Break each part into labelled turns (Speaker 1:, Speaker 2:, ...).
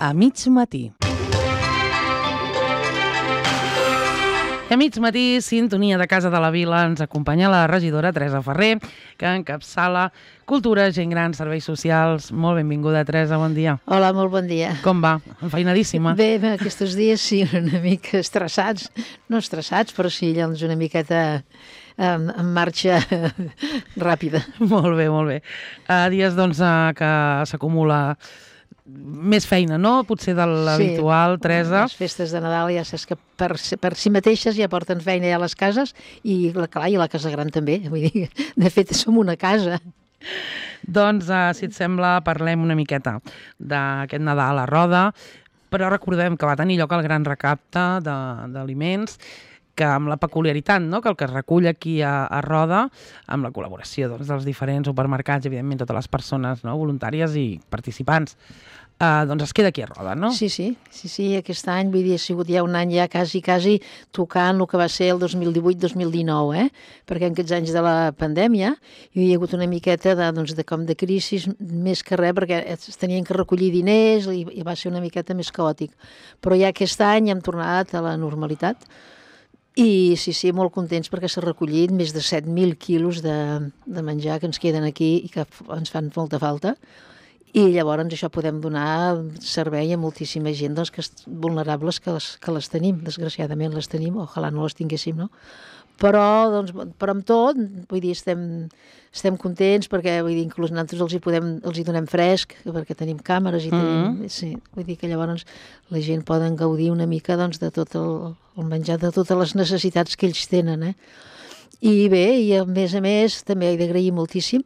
Speaker 1: a mig matí. I a mig matí, sintonia de Casa de la Vila, ens acompanya la regidora Teresa Ferrer, que encapçala Cultura, Gent Gran, Serveis Socials. Molt benvinguda, Teresa, bon dia.
Speaker 2: Hola, molt bon dia.
Speaker 1: Com va? Enfeinadíssima?
Speaker 2: Bé, aquests dies sí, una mica estressats. No estressats, però sí, doncs una miqueta en marxa ràpida.
Speaker 1: Molt bé, molt bé. Dies, doncs, que s'acumula més feina, no? Potser de l'habitual, sí, Teresa.
Speaker 2: Les festes de Nadal ja saps que per si mateixes ja porten feina ja a les cases i, clar, i la casa gran també. Vull dir, de fet, som una casa.
Speaker 1: Doncs, si et sembla, parlem una miqueta d'aquest Nadal a Roda, però recordem que va tenir lloc el gran recapte d'aliments, que amb la peculiaritat, no?, que el que es recull aquí a Roda, amb la col·laboració dels diferents supermercats, evidentment totes les persones, no?, voluntàries i participants, doncs es queda aquí a Roda, no?
Speaker 2: Sí, aquest any, vull dir, ha sigut ja un any ja quasi tocant el que va ser el 2018-2019, perquè en aquests anys de la pandèmia hi ha hagut una miqueta de crisi, més que res, perquè es tenien que recollir diners i va ser una miqueta més caòtic. Però ja aquest any hem tornat a la normalitat. I sí, molt contents perquè s'ha recollit més de 7.000 quilos de menjar que ens queden aquí i que ens fan molta falta. I llavors això podem donar servei a moltíssima gent vulnerables que les tenim, desgraciadament les tenim, ojalà no les tinguéssim, no? Però amb tot, vull dir, estem contents perquè, vull dir, inclús nosaltres els hi donem fresc, perquè tenim càmeres i tenim... Sí, vull dir que llavors la gent poden gaudir una mica de tot el menjar, de totes les necessitats que ells tenen, I bé, i a més, també he d'agrair moltíssim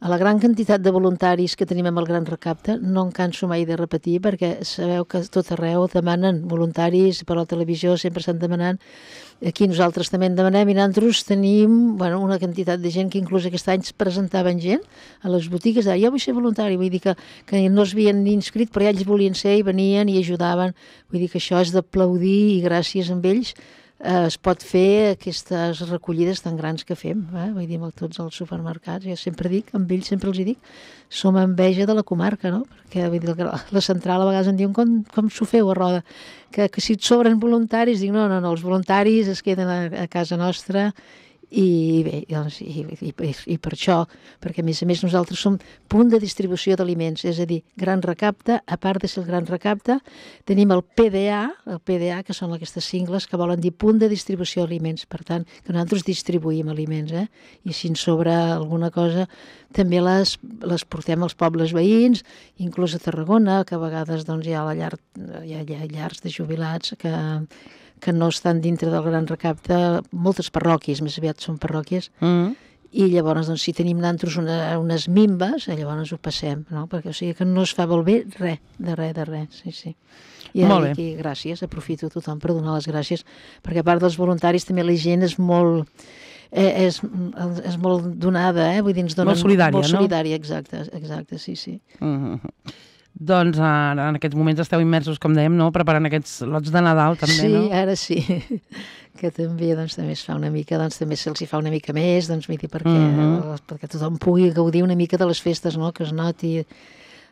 Speaker 2: a la gran quantitat de voluntaris que tenim amb el Gran Recapte. No em canso mai de repetir, perquè sabeu que tot arreu demanen voluntaris, per la televisió sempre estan demanant. Aquí nosaltres també en demanem i nosaltres tenim una quantitat de gent que inclús aquest any es presentaven gent a les botigues, jo vull ser voluntari, vull dir que no es havien ni inscrit, però ja ells volien ser i venien i ajudaven. Vull dir que això és d'aplaudir i gràcies a ells es pot fer aquestes recollides tan grans que fem, vull dir, amb tots els supermercats. Jo sempre dic, amb ells sempre els dic, som enveja de la comarca, no? Perquè vull dir, la central a vegades em diuen com s'ho feu a Roda, que si et sobren voluntaris, dic no, els voluntaris es queden a casa nostra. I bé, doncs, i per això, perquè a més nosaltres som punt de distribució d'aliments, és a dir, Gran Recapte, a part de ser el Gran Recapte, tenim el PDA, que són aquestes sigles que volen dir punt de distribució d'aliments, per tant, que nosaltres distribuïm aliments, i si en sobra alguna cosa, també les portem als pobles veïns, inclús a Tarragona, que a vegades doncs, hi ha llars de jubilats que no estan dintre del Gran Recapte, moltes parròquies, més aviat són parròquies, i llavors, doncs, si tenim nosaltres unes mimbes, llavors ho passem, no? Perquè, o sigui, que no es fa bé de res, sí. I aquí, gràcies, aprofito tothom per donar les gràcies, perquè a part dels voluntaris també la gent és molt donada, vull dir, ens donen...
Speaker 1: Molt solidària, no?
Speaker 2: Molt solidària, exacte, sí.
Speaker 1: Doncs en aquests moments esteu immersos, com dèiem, no? Preparant aquests lots de Nadal, també, no?
Speaker 2: Sí, ara sí, que també es fa una mica, també se'ls hi fa una mica més, vull dir, perquè tothom pugui gaudir una mica de les festes, no?, que es noti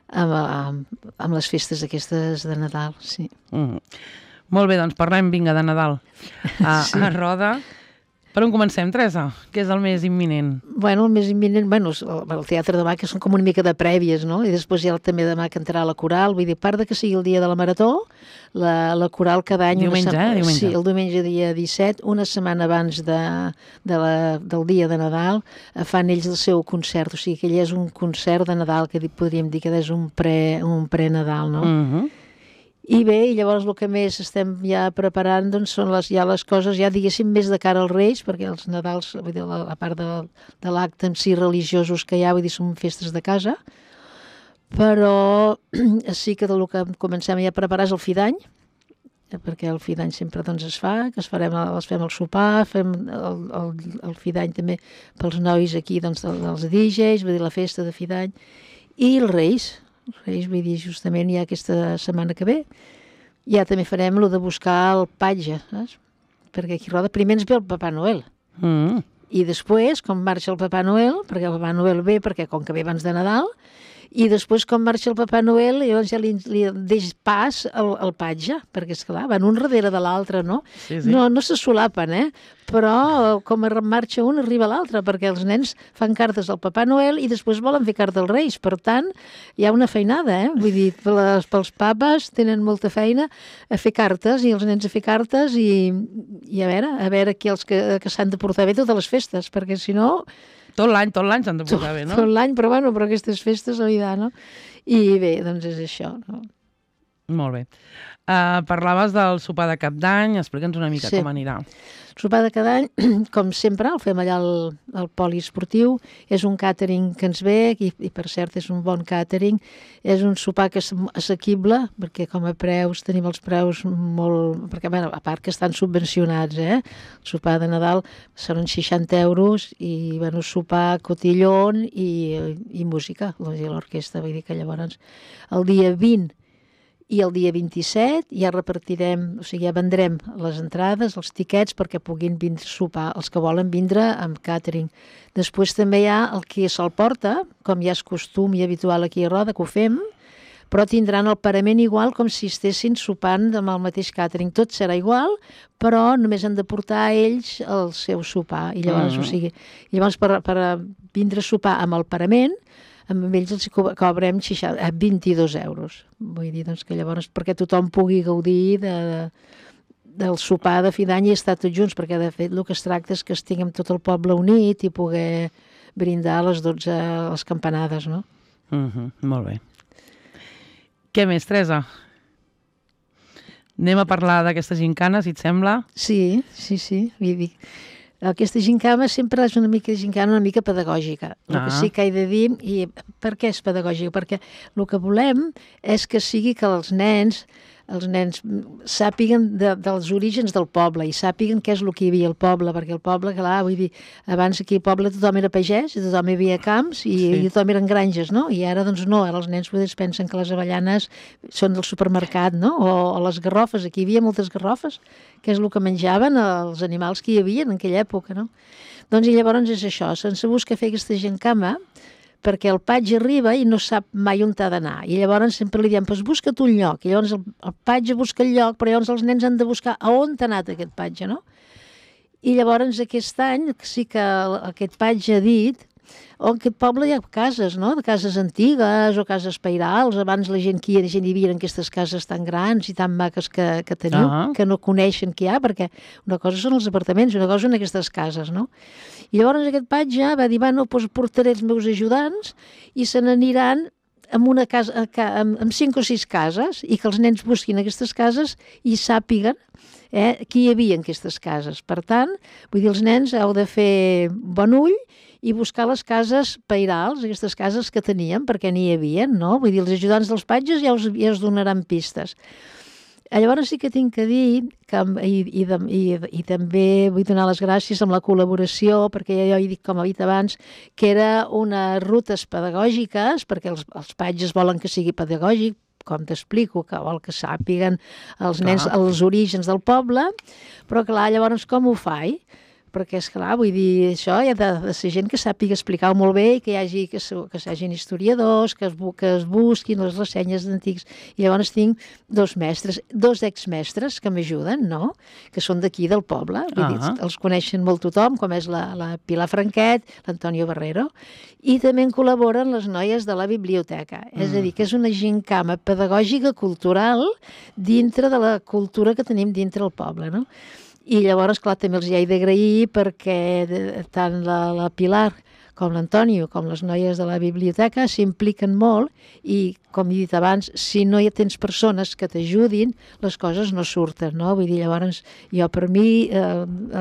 Speaker 2: amb les festes aquestes de Nadal, sí.
Speaker 1: Molt bé, doncs parlem, vinga, de Nadal a Roda. Per on comencem, Teresa? Què és el més imminent?
Speaker 2: El més imminent, el Teatre demà, que són com una mica de prèvies, no? I després ja també demà cantarà la coral, vull dir, a part de que sigui el dia de la Marató, la coral cada any...
Speaker 1: Diumenge.
Speaker 2: Sí, el diumenge dia 17, una setmana abans del dia de Nadal, fan ells el seu concert, o sigui que ell és un concert de Nadal, que podríem dir que és un pre-Nadal, no? I bé, i llavors el que més estem ja preparant són les coses, ja diguéssim, més de cara als Reis, perquè els Nadals, vull dir, a part de l'acte en si religiosos que hi ha, vull dir, són festes de casa, però sí que del que comencem ja a preparar és el fi d'any, perquè el fi d'any sempre es fa, que fem el sopar, fem el fi d'any també pels nois aquí, dels DJs, vull dir, la festa de fi d'any, i els Reis, vull dir, justament ja aquesta setmana que ve, ja també farem el de buscar el patge, saps? Perquè aquí a Roda primer ens ve el Papà Noel. I després, com marxa el Papà Noel, perquè el Papà Noel ve, perquè com que ve abans de Nadal, i després quan marxa el Papa Noel llavors ja li deix pas al patge, perquè esclar, van un darrere de l'altre, no?
Speaker 1: Sí.
Speaker 2: No se solapen, però com marxa un arriba l'altre, perquè els nens fan cartes al Papa Noel i després volen fer carta als Reis, per tant hi ha una feinada, vull dir, pels papes tenen molta feina a fer cartes i els nens a fer cartes i a veure qui els que s'han de portar bé totes les festes, perquè si no...
Speaker 1: Tot l'any s'han de portar bé, no?
Speaker 2: Tot l'any, però aquestes festes, no? I bé, doncs és això, no?
Speaker 1: Molt bé. Parlaves del sopar de Cap d'Any, explica'ns una mica com anirà.
Speaker 2: El sopar de cada any, com sempre, el fem allà al poliesportiu, és un càtering que ens ve, i per cert és un bon càtering, és un sopar que és assequible, perquè com a preus tenim els preus molt... perquè, a part que estan subvencionats, el sopar de Nadal són uns 60 euros i, sopar cotillón i música, l'orquestra, vull dir que llavors el dia 20 i el dia 27 ja repartirem, o sigui, ja vendrem les entrades, els tiquets, perquè puguin vindre a sopar, els que volen vindre amb càtering. Després també hi ha el que se'l porta, com ja és costum i habitual aquí a Roda, que ho fem, però tindran el parament igual com si estessin sopant amb el mateix càtering. Tot serà igual, però només han de portar ells el seu sopar. I llavors, o sigui, per vindre a sopar amb el parament, amb ells els cobrem 22 euros. Vull dir, doncs, que llavors, perquè tothom pugui gaudir del sopar de fi d'any i estar tots junts, perquè de fet el que es tracta és que estiguem tot el poble unit i poder brindar a les 12 les campanades, no?
Speaker 1: Molt bé. Què més, Teresa? Anem a parlar d'aquesta gincana, si et sembla?
Speaker 2: Sí. Vull dir, aquesta gincana sempre és una mica pedagògica. El que sí que he de dir, i per què és pedagògica? Perquè el que volem és que sigui que els nens sàpiguen dels orígens del poble i sàpiguen què és el que hi havia al poble, perquè el poble, clar, vull dir, abans aquí al poble tothom era pagès, tothom hi havia camps i tothom eren granges, no? I ara, doncs, no, ara els nens pensen que les avellanes són del supermercat, no? O les garrofes, aquí hi havia moltes garrofes, que és el que menjaven els animals que hi havia en aquella època, no? Doncs i llavors és això, sense buscar fer aquesta gincama, perquè el patge arriba i no sap mai on ha d'anar. I llavors sempre li diem, doncs busca't un lloc. I llavors el patge busca el lloc, però llavors els nens han de buscar a on ha anat aquest patge, no? I llavors aquest any sí que aquest patge ha dit on aquest poble hi ha cases, no? De cases antigues o cases pairals. Abans la gent hi havia en aquestes cases tan grans i tan maques que teniu, que no coneixen què hi ha, perquè una cosa són els apartaments, una cosa són aquestes cases, no? I llavors aquest patge va dir, doncs portaré els meus ajudants i se n'aniran amb una casa, amb 5 o 6 cases, i que els nens busquin aquestes cases i sàpiguen qui hi havia en aquestes cases. Per tant, vull dir, els nens heu de fer bon ull i buscar les cases pairals, aquestes cases que teníem, perquè n'hi havia, no? Vull dir, els ajudants dels patges ja us donaran pistes. Llavors sí que tinc que dir, i també vull donar les gràcies amb la col·laboració, perquè jo he dit, com he dit abans, que era unes rutes pedagògiques, perquè els patges volen que sigui pedagògic, com t'explico, que vol que sàpiguen els nens els orígens del poble, però clar, llavors com ho faig? Perquè, esclar, vull dir, això hi ha de ser gent que sàpiga explicar-ho molt bé i que hi hagin historiadors, que es busquin les ressenyes d'antics. I llavors tinc 2 mestres, 2 exmestres que m'ajuden, no?, que són d'aquí, del poble. Vull dir, els coneixen molt tothom, com és la Pilar Franquet, l'Antonio Barrero, i també en col·laboren les noies de la biblioteca. És a dir, que és una gincama pedagògica cultural dintre de la cultura que tenim dintre el poble, no? I llavors, clar, també els hi he d'agrair perquè tant la Pilar com l'Antonio, com les noies de la biblioteca, s'impliquen molt i, com he dit abans, si no hi tens persones que t'ajudin, les coses no surten, no? Vull dir, llavors, jo per mi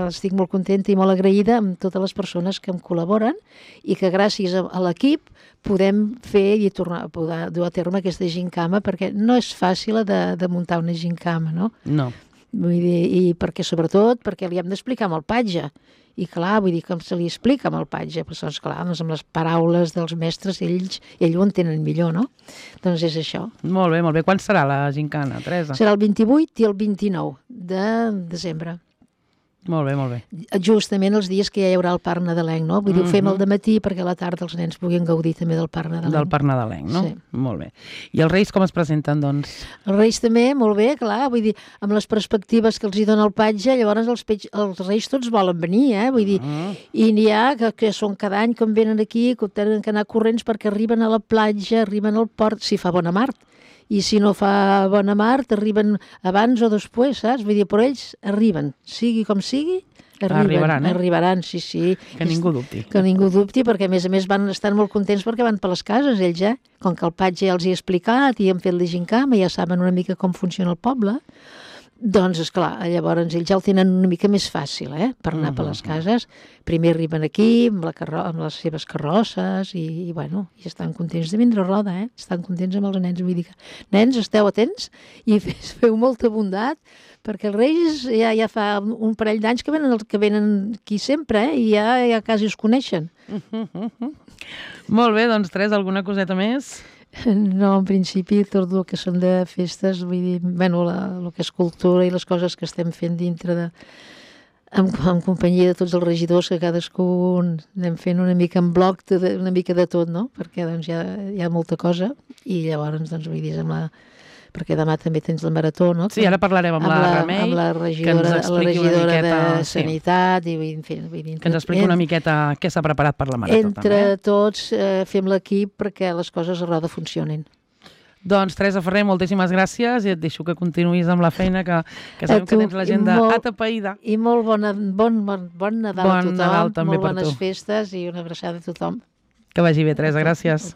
Speaker 2: estic molt contenta i molt agraïda amb totes les persones que em col·laboren i que gràcies a l'equip podem fer i poder dur a terme aquesta gincama, perquè no és fàcil de muntar una gincama, no?
Speaker 1: No.
Speaker 2: Vull dir, i sobretot perquè li hem d'explicar amb el patge. I clar, vull dir, com se li explica amb el patge? Però, clar, doncs amb les paraules dels mestres, ells ho entenen millor, no? Doncs és això.
Speaker 1: Molt bé, molt bé. Quan serà la gincana, Teresa?
Speaker 2: Serà el 28 i el 29 de desembre.
Speaker 1: Molt bé, molt bé.
Speaker 2: Justament els dies que ja hi haurà el Parc Nadalenc, no? Vull dir, ho fem al dematí perquè a la tarda els nens puguin gaudir també del Parc Nadalenc.
Speaker 1: Del Parc Nadalenc, no?
Speaker 2: Sí.
Speaker 1: Molt bé. I els Reis com es presenten, doncs?
Speaker 2: Els Reis també, molt bé, clar, vull dir, amb les perspectives que els hi dona el patge, llavors els Reis tots volen venir, vull dir, i n'hi ha que són cada any quan venen aquí, que tenen que anar corrents perquè arriben a la platja, arriben al port, si fa bona mar, i si no fa bona mar, arriben abans o després, saps? Vull dir, però ells arriben, sigui com sigui, arribaran, sí.
Speaker 1: Que ningú dubti.
Speaker 2: Que ningú dubti, perquè a més van estar molt contents perquè van per les cases, ells, Com que el patge ja els hi ha explicat i han fet la gincama, ja saben una mica com funciona el poble, doncs, esclar, llavors ells ja el tenen una mica més fàcil, per anar per les cases. Primer arriben aquí, amb les seves carrosses, i bueno, i estan contents de vindre a Roda, estan contents amb els nens. Vull dir que, nens, esteu atents i feu molta bondat, perquè els Reis ja fa un parell d'anys que venen aquí sempre, i ja quasi es coneixen.
Speaker 1: Molt bé, doncs, Teresa, alguna coseta més?
Speaker 2: No, en principi, tot el que són de festes, vull dir, bueno, el que és cultura i les coses que estem fent dintre en companyia de tots els regidors, que cadascú anem fent una mica en bloc, una mica de tot, no? Perquè doncs hi ha molta cosa, i llavors, doncs, vull dir, perquè demà també tens la marató, no?
Speaker 1: Sí, ara parlarem amb la Remei,
Speaker 2: amb la regidora de Sanitat, i
Speaker 1: que ens expliqui una miqueta què s'ha preparat per la marató.
Speaker 2: Entre tots fem l'equip perquè les coses a Roda funcionin.
Speaker 1: Doncs, Teresa Ferrer, moltíssimes gràcies, i et deixo que continuïs amb la feina, que sabem que tens l'agenda atapeïda.
Speaker 2: I molt bon Nadal a tothom,
Speaker 1: Nadal també
Speaker 2: molt
Speaker 1: per tu.
Speaker 2: bones festes i una abraçada a tothom.
Speaker 1: Que vagi bé, Teresa, gràcies.